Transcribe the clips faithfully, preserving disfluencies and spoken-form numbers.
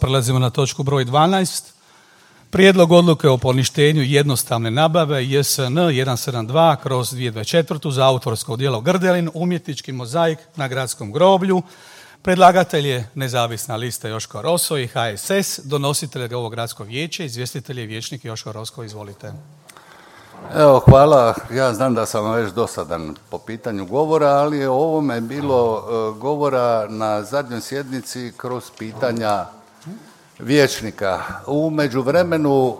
Prelazimo na točku broj dvanaest. Prijedlog odluke o poništenju jednostavne nabave J S N jedan sedam dva kroz dvije hiljade dvadeset četvrtu za autorsko djelo Grdelin, umjetnički mozaik na gradskom groblju. Predlagatelj je nezavisna lista Joško Roso i H S S, donositelj ovo gradsko vijeće, izvjestitelj je vijećnik Joško Rosko, izvolite. Evo, hvala. Ja znam da sam već dosadan po pitanju govora, ali je o ovome bilo uh, govora na zadnjoj sjednici kroz pitanja vijećnika. U međuvremenu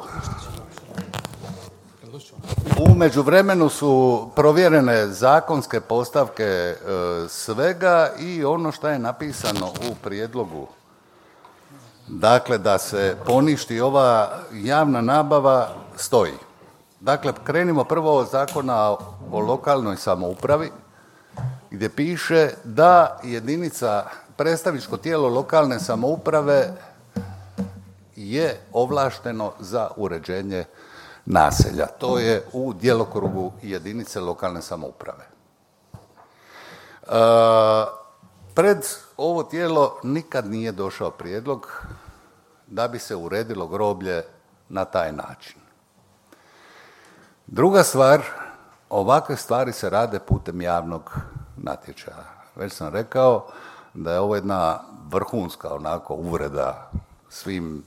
U međuvremenu su provjerene zakonske postavke e, svega i ono što je napisano u prijedlogu. Dakle, da se poništi ova javna nabava stoji. Dakle, krenimo prvo od Zakona o lokalnoj samoupravi gdje piše da jedinica, predstavničko tijelo lokalne samouprave je ovlašteno za uređenje naselja. To je u djelokrugu jedinice lokalne samouprave. E, pred ovo tijelo nikad nije došao prijedlog da bi se uredilo groblje na taj način. Druga stvar, ovakve stvari se rade putem javnog natječaja. Već sam rekao da je ovo jedna vrhunska onako uvreda svim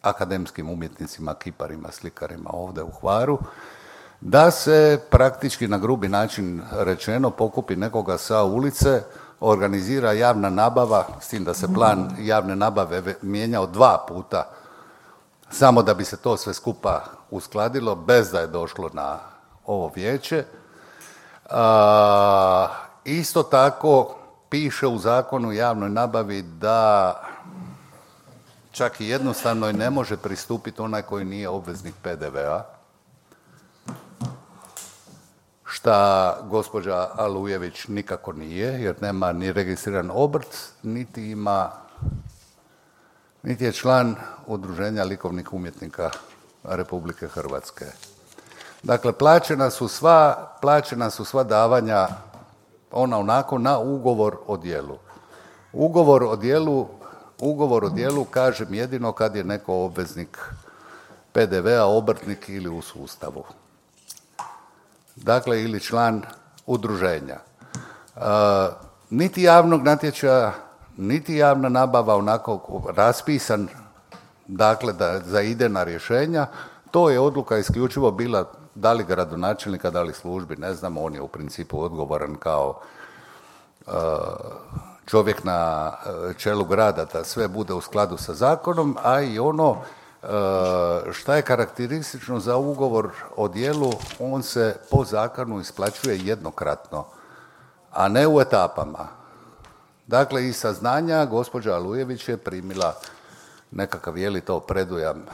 akademskim umjetnicima, kiparima, slikarima ovdje u Hvaru, da se praktički na grubi način rečeno pokupi nekoga sa ulice, organizira javna nabava, s tim da se plan javne nabave mijenjao dva puta, samo da bi se to sve skupa uskladilo, bez da je došlo na ovo vijeće. A, isto tako piše u Zakonu o javnoj nabavi da čak i jednostavno ne može pristupiti onaj koji nije obveznik P D V-a, šta gospođa Alujević nikako nije, jer nema ni registriran obrt, niti ima, niti je član Udruženja likovnih umjetnika Republike Hrvatske. Dakle, plaćena su sva, plaćena su sva davanja ona onako na ugovor o djelu. Ugovor o djelu Ugovor o djelu kažem jedino kad je neko obveznik P D V-a, obrtnik ili u sustavu. Dakle, ili član udruženja. E, niti javnog natječaja, niti javna nabava onako raspisan, dakle, da za idejna rješenja, to je odluka isključivo bila da li gradonačelnika, da li službi, ne znam, on je u principu odgovoran kao e, čovjek na čelu grada da sve bude u skladu sa zakonom, a i ono šta je karakteristično za ugovor o djelu, on se po zakonu isplaćuje jednokratno, a ne u etapama. Dakle, iz saznanja gospođa Alujević je primila nekakav, je li to predujam,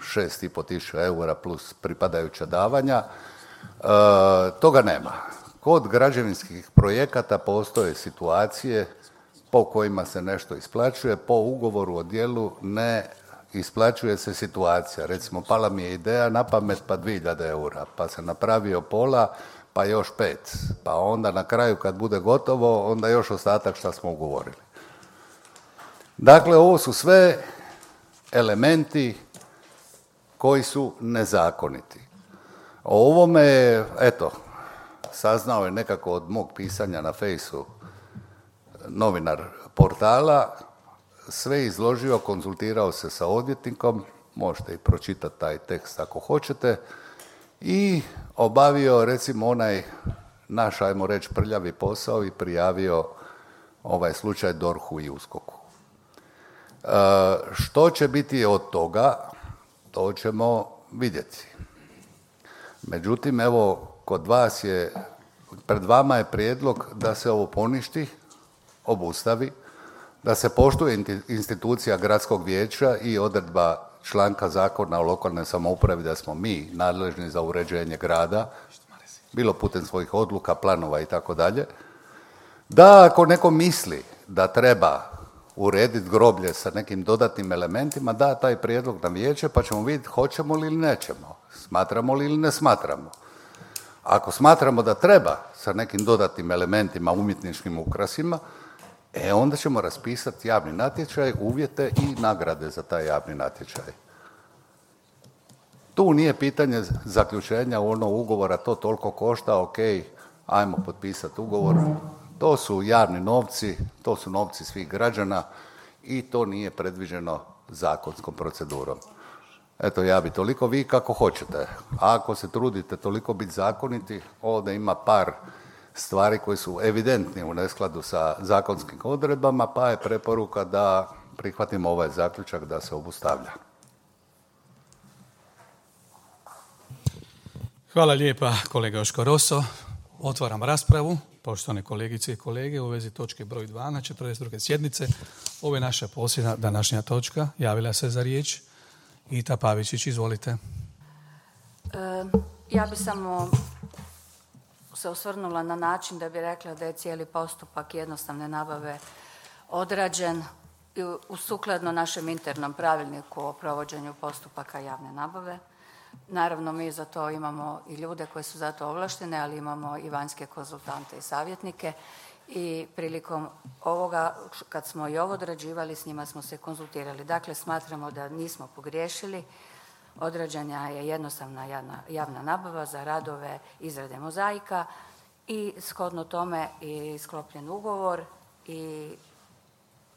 šest i po tisuća eura plus pripadajuća davanja. E, toga nema. Kod građevinskih projekata postoje situacije po kojima se nešto isplaćuje, po ugovoru o djelu ne isplaćuje se situacija. Recimo, pala mi je ideja na pamet pa dvije hiljade eura, pa se napravio pola, pa još pet, pa onda na kraju kad bude gotovo, onda još ostatak šta smo ugovorili. Dakle, ovo su sve elementi koji su nezakoniti. O ovome, eto, saznao je nekako od mog pisanja na fejsu novinar portala, sve izložio, konzultirao se sa odvjetnikom, možete i pročitati taj tekst ako hoćete, i obavio recimo onaj naš, ajmo reći, prljavi posao i prijavio ovaj slučaj D O R H-u i U S K O K-u. E, što će biti od toga, to ćemo vidjeti. Međutim, evo, kod vas je, pred vama je prijedlog da se ovo poništi, obustavi, da se poštuje institucija gradskog vijeća i odredba članka Zakona o lokalnoj samoupravi da smo mi nadležni za uređenje grada, bilo putem svojih odluka, planova i tako dalje, da ako neko misli da treba urediti groblje sa nekim dodatnim elementima, da taj prijedlog na vijeće pa ćemo vidjeti hoćemo li ili nećemo, smatramo li ili ne smatramo. Ako smatramo da treba sa nekim dodatnim elementima, umjetničkim ukrasima, E, onda ćemo raspisati javni natječaj, uvjete i nagrade za taj javni natječaj. Tu nije pitanje zaključenja ono ugovora, to toliko košta, ok, ajmo potpisati ugovor. To su javni novci, to su novci svih građana i to nije predviđeno zakonskom procedurom. Eto, ja bi toliko, vi kako hoćete. A ako se trudite toliko biti zakoniti, ovdje ima par stvari koje su evidentni u neskladu sa zakonskim odredbama, pa je preporuka da prihvatimo ovaj zaključak da se obustavlja. Hvala lijepa, kolega Joško Roso. Otvaram raspravu. Poštovane kolegice i kolege, u vezi točke broj dva na četrdeset druge sjednice. Ovo je naša posljednja današnja točka. Javila se za riječ Ita Pavičić, izvolite. E, ja bi samo se osvrnula na način da bi rekla da je cijeli postupak jednostavne nabave odrađen u sukladno našem internom pravilniku o provođenju postupaka javne nabave. Naravno, mi za to imamo i ljude koji su za to ovlaštene, ali imamo i vanjske konzultante i savjetnike i prilikom ovoga, kad smo i ovo odrađivali, s njima smo se konzultirali. Dakle, smatramo da nismo pogriješili. Odrađena je jednostavna javna, javna nabava za radove izrade mozaika i shodno tome i sklopljen ugovor i,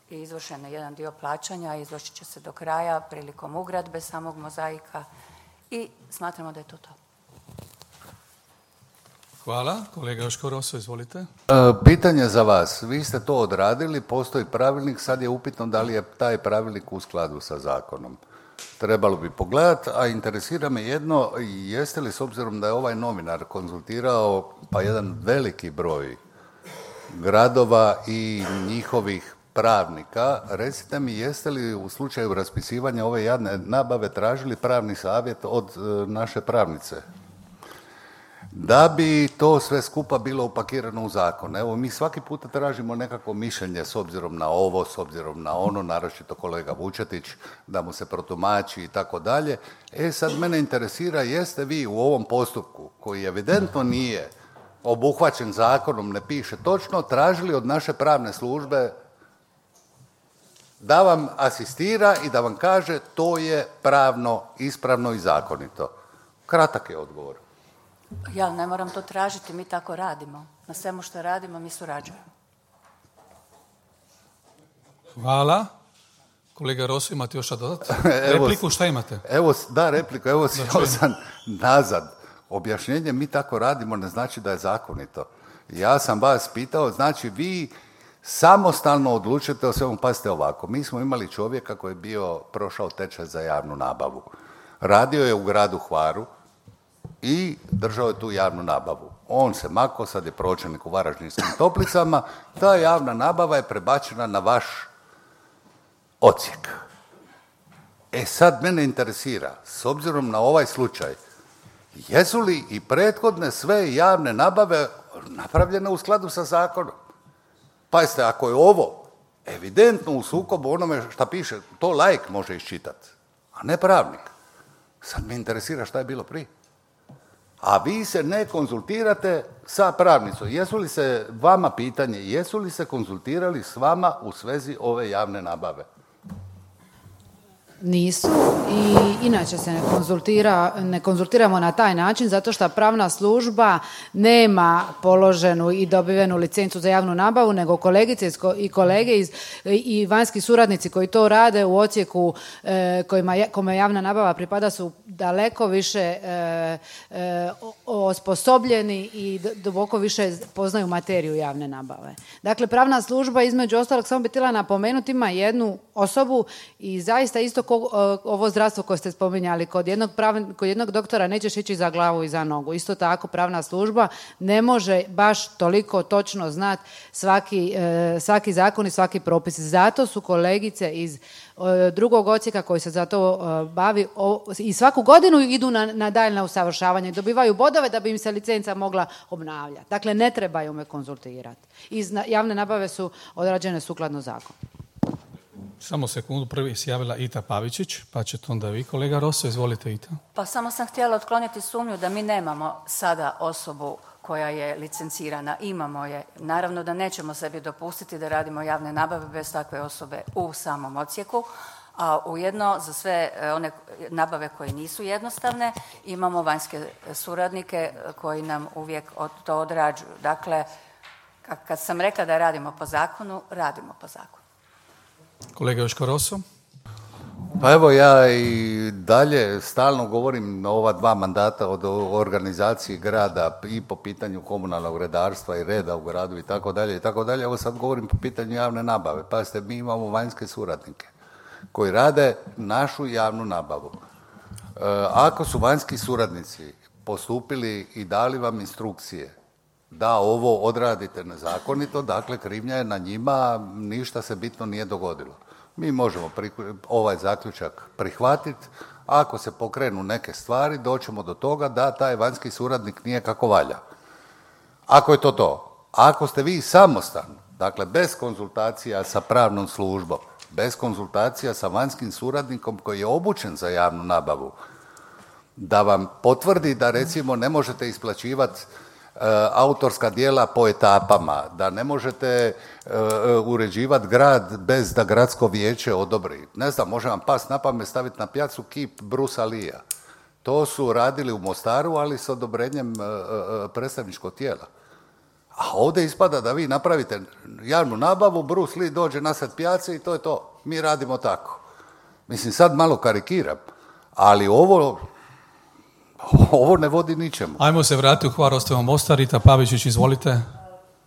i izvršen je jedan dio plaćanja, izvršit će se do kraja prilikom ugradbe samog mozaika i smatramo da je to to. Hvala. Kolega Joško Roso, izvolite. E, pitanje za vas. Vi ste to odradili, postoji pravilnik, sad je upitno da li je taj pravilnik u skladu sa zakonom. Trebalo bi pogledati, a interesira me jedno, jeste li s obzirom da je ovaj novinar konzultirao pa jedan veliki broj gradova i njihovih pravnika, recite mi jeste li u slučaju raspisivanja ove javne nabave tražili pravni savjet od e, naše pravnice? Da bi to sve skupa bilo upakirano u zakon. Evo, mi svaki puta tražimo nekako mišljenje s obzirom na ovo, s obzirom na ono, naročito kolega Vučetić, da mu se protumači i tako dalje. E, sad mene interesira, jeste vi u ovom postupku, koji evidentno nije obuhvaćen zakonom, ne piše točno, tražili od naše pravne službe da vam asistira i da vam kaže to je pravno, ispravno i zakonito? Kratak je odgovor. Ja ne moram to tražiti, mi tako radimo. Na svemu što radimo, mi surađujemo. Hvala. Kolega Roso, imate još što dodati? Repliku, šta imate? Evo, da, repliku. Evo, sjeo sam nazad. Objašnjenje mi tako radimo ne znači da je zakonito. Ja sam vas pitao, znači vi samostalno odlučite o svemu. Pazite ovako, mi smo imali čovjeka koji je bio prošao tečaj za javnu nabavu. Radio je u gradu Hvaru i držao je tu javnu nabavu. On se mako, sad je pročelnik u Varaždinskim Toplicama, ta javna nabava je prebačena na vaš odsjek. E sad mene interesira, s obzirom na ovaj slučaj, jesu li i prethodne sve javne nabave napravljene u skladu sa zakonom? Pazite, ako je ovo evidentno u sukobu onome šta piše, to laik može iščitati, a ne pravnik. Sad me interesira šta je bilo prije. A vi se ne konzultirate sa pravnicom. Jesu li se, vama pitanje, jesu li se konzultirali s vama u svezi ove javne nabave? Nisu i inače se ne konzultira, ne konzultiramo na taj način zato što pravna služba nema položenu i dobivenu licencu za javnu nabavu, nego kolegice i kolege iz, i vanjski suradnici koji to rade u odsjeku e, kojima, kome javna nabava pripada su daleko više e, e, osposobljeni i duboko više poznaju materiju javne nabave. Dakle, pravna služba između ostalog, samo bi htjela napomenuti, ima jednu osobu i zaista isto ko ovo zdravstvo koje ste spominjali, kod jednog, prav, kod jednog doktora nećeš ići za glavu i za nogu. Isto tako pravna služba ne može baš toliko točno znati svaki, e, svaki zakon i svaki propis. Zato su kolegice iz e, drugog odsjeka koji se za to e, bavi o, i svaku godinu idu na, na daljnje usavršavanje i dobivaju bodove da bi im se licenca mogla obnavljati. Dakle, ne trebaju me konzultirati. Iz javne nabave su odrađene sukladno zakonu. Samo sekundu, prvi se javila Ita Pavičić, pa ćete onda vi, kolega Roso, izvolite Ita. Pa samo sam htjela otkloniti sumnju da mi nemamo sada osobu koja je licencirana, imamo je. Naravno da nećemo sebi dopustiti da radimo javne nabave bez takve osobe u samom odsjeku, a ujedno za sve one nabave koje nisu jednostavne imamo vanjske suradnike koji nam uvijek to odrađuju. Dakle, kad sam rekla da radimo po zakonu, radimo po zakonu. Kolega Joško Rosso. Pa evo, ja i dalje stalno govorim o ova dva mandata od organizaciji grada i po pitanju komunalnog redarstva i reda u gradu i tako dalje i tako dalje. Evo sad govorim po pitanju javne nabave. Pazite, mi imamo vanjske suradnike koji rade našu javnu nabavu. E, ako su vanjski suradnici postupili i dali vam instrukcije da ovo odradite nezakonito, dakle krivnja je na njima, ništa se bitno nije dogodilo. Mi možemo ovaj zaključak prihvatiti, ako se pokrenu neke stvari, doćemo do toga da taj vanjski suradnik nije kako valja. Ako je to to. Ako ste vi samostalni, dakle bez konzultacija sa pravnom službom, bez konzultacija sa vanjskim suradnikom koji je obučen za javnu nabavu, da vam potvrdi da recimo ne možete isplaćivati Uh, autorska djela po etapama, da ne možete uh, uređivati grad bez da gradsko vijeće odobri. Ne znam, može vam pas na pamet staviti na pijacu kip Brusa Leea. To su radili u Mostaru, ali s odobrenjem uh, uh, predstavničkog tijela. A ovdje ispada da vi napravite javnu nabavu, Bruce Lee dođe nasred pijace i to je to. Mi radimo tako. Mislim, sad malo karikiram, ali ovo Ovo ne vodi ničemu. Ajmo se vratiti u Hvarostevo Mostar. Rita Pavičić, izvolite.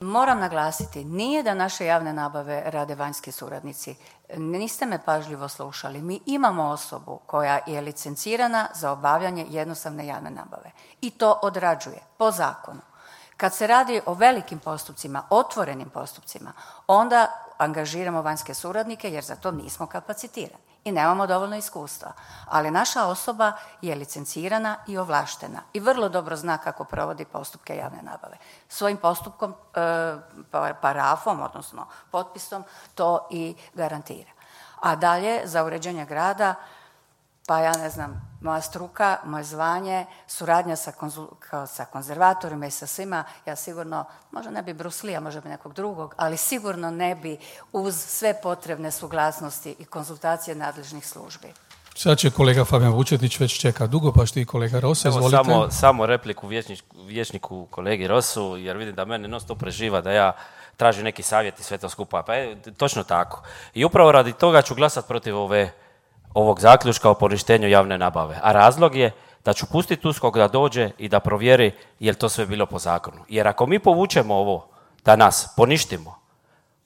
Moram naglasiti, nije da naše javne nabave rade vanjski suradnici. Niste me pažljivo slušali. Mi imamo osobu koja je licencirana za obavljanje jednostavne javne nabave. I to odrađuje po zakonu. Kad se radi o velikim postupcima, otvorenim postupcima, onda angažiramo vanjske suradnike jer za to nismo kapacitirani i nemamo dovoljno iskustva. Ali naša osoba je licencirana i ovlaštena i vrlo dobro zna kako provodi postupke javne nabave. Svojim postupkom, e, parafom, odnosno potpisom, to i garantira. A dalje, za uređenje grada, pa ja ne znam, moja struka, moje zvanje, suradnja sa, konzul, sa konzervatorima i sa svima, ja sigurno, možda ne bi Bruce Lee, možda bi nekog drugog, ali sigurno ne bi uz sve potrebne suglasnosti i konzultacije nadležnih službi. Sad će kolega Fabijan Vučetić, već čeka dugo, pa što i kolega Rosso, izvolite. Samo, samo repliku vječniku, vječniku kolegi Rossu, jer vidim da mene non stop preživa da ja tražim neki savjet i sve to skupa. Pa je točno tako. I upravo radi toga ću glasati protiv ove ovog zaključka o poništenju javne nabave. A razlog je da ću pustiti USKOK da dođe i da provjeri je li to sve bilo po zakonu. Jer ako mi povučemo ovo danas, poništimo,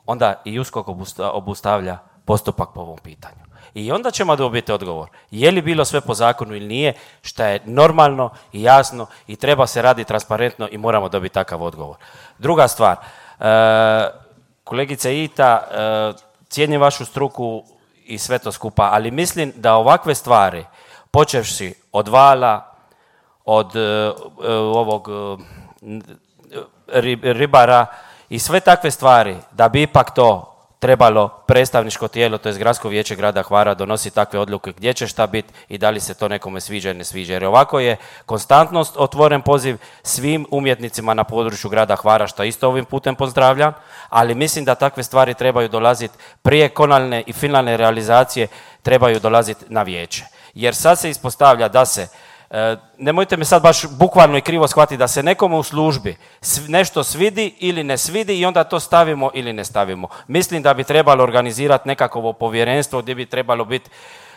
onda i USKOK obustavlja postupak po ovom pitanju. I onda ćemo dobiti odgovor je li bilo sve po zakonu ili nije, što je normalno i jasno i treba se raditi transparentno i moramo dobiti takav odgovor. Druga stvar, e, kolegice Ita, e, cijenim vašu struku i sve to skupa, ali mislim da ovakve stvari, počevši od vala, od uh, ovog uh, ribara i sve takve stvari, da bi ipak to trebalo predstavničko tijelo, to je Gradsko vijeće grada Hvara, donosi takve odluke gdje će šta biti i da li se to nekome sviđa ili ne sviđa. Jer ovako je konstantnost otvoren poziv svim umjetnicima na području grada Hvara, što isto ovim putem pozdravljam, ali mislim da takve stvari trebaju dolaziti prije konalne i finalne realizacije, trebaju dolaziti na vijeće. Jer sad se ispostavlja da se, e, nemojte me sad baš bukvalno i krivo shvatiti, da se nekome u službi nešto svidi ili ne svidi i onda to stavimo ili ne stavimo. Mislim da bi trebalo organizirati nekakvo povjerenstvo gdje bi trebalo biti,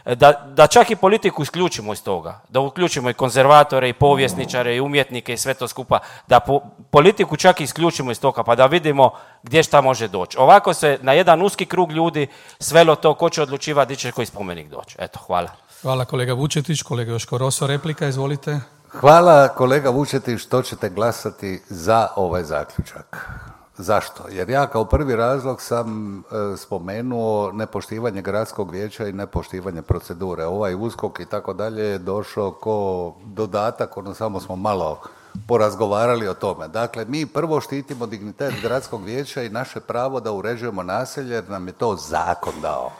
da, da čak i politiku isključimo iz toga, da uključimo i konzervatore i povjesničare i umjetnike i sve to skupa, da po, politiku čak i isključimo iz toga pa da vidimo gdje šta može doći. Ovako se na jedan uski krug ljudi svelo to ko će odlučivati gdje će koji spomenik doći. Eto, hvala. Hvala kolega Vučetić, kolega Joško Rosso, replika, izvolite. Hvala kolega Vučetić što ćete glasati za ovaj zaključak. Zašto? Jer ja kao prvi razlog sam e, spomenuo nepoštivanje gradskog vijeća i nepoštivanje procedure. Ovaj USKOK i tako dalje je došao ko dodatak, ono samo smo malo porazgovarali o tome. Dakle, mi prvo štitimo dignitet gradskog vijeća i naše pravo da uređujemo naselje jer nam je to zakon dao.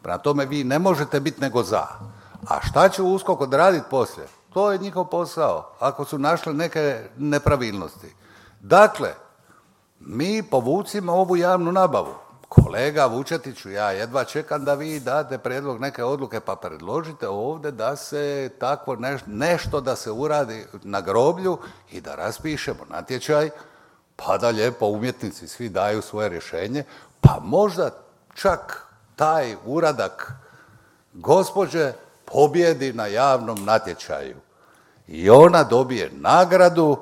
Prema tome vi ne možete biti nego za. A šta će USKOK odraditi poslije? To je njihov posao, ako su našli neke nepravilnosti. Dakle, mi povucimo ovu javnu nabavu. Kolega Vučetiću, ja jedva čekam da vi date prijedlog neke odluke, pa predložite ovdje da se takvo neš, nešto da se uradi na groblju i da raspišemo natječaj, pa da lijepo umjetnici svi daju svoje rješenje, pa možda čak taj uradak gospođe pobjedi na javnom natječaju i ona dobije nagradu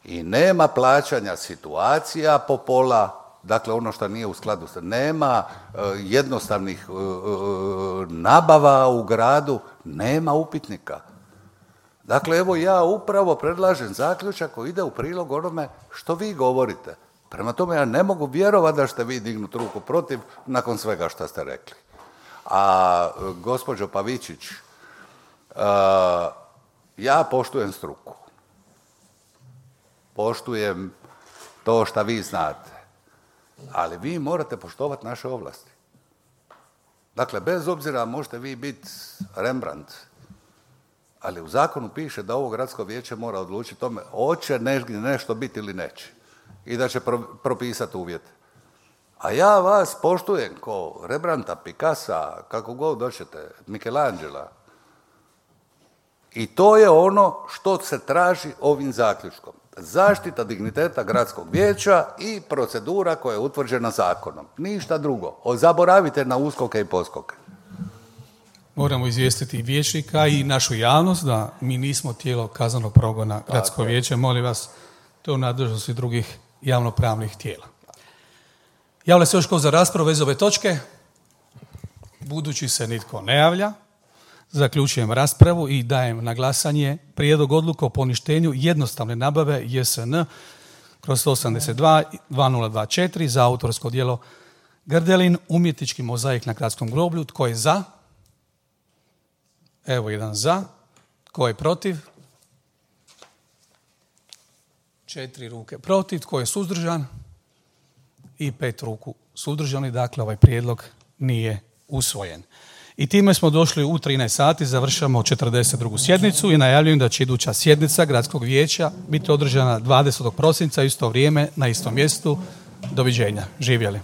i nema plaćanja situacija po pola. Dakle, ono što nije u skladu sa... Nema uh, jednostavnih uh, uh, nabava u gradu, nema upitnika. Dakle, evo ja upravo predlažem zaključak koji ide u prilog onome što vi govorite. Prema tome, ja ne mogu vjerovati da ćete vi dignuti ruku protiv nakon svega što ste rekli. A uh, gospođo Pavičić, uh, ja poštujem struku. Poštujem to što vi znate. Ali vi morate poštovati naše ovlasti. Dakle, bez obzira možete vi biti Rembrandt, ali u zakonu piše da ovo gradsko vijeće mora odlučiti tome hoće nešto biti ili neće i da će pro, propisati uvjete. A ja vas poštujem ko Rembrandta, Picassa, kako god doćete, Michelangela. I to je ono što se traži ovim zaključkom. Zaštita digniteta gradskog vijeća i procedura koja je utvrđena zakonom. Ništa drugo. Zaboravite na uskoke i poskoke. Moramo izvijestiti i vijećnika i našu javnost da mi nismo tijelo kaznenog progona gradskog vijeća. Molim vas, to je u nadležnosti drugih javnopravnih tijela. Javlja se još ko za raspravu vez ove točke? Budući se nitko ne javlja, zaključujem raspravu i dajem na glasanje prijedlog odluke o poništenju jednostavne nabave J S N kroz sto osamdeset dva dvije nula dva četiri za autorsko djelo Grdelin, umjetnički mozaik na gradskom groblju. Tko je za? Evo jedan za. Tko je protiv? Četiri ruke protiv. Tko je suzdržan? I pet ruku suzdržani. Dakle, ovaj prijedlog nije usvojen. I time smo došli u trinaest sati, završamo četrdeset drugu sjednicu i najavljujem da će iduća sjednica Gradskog vijeća biti održana dvadesetog prosinca, isto vrijeme, na istom mjestu. Doviđenja. Živjeli.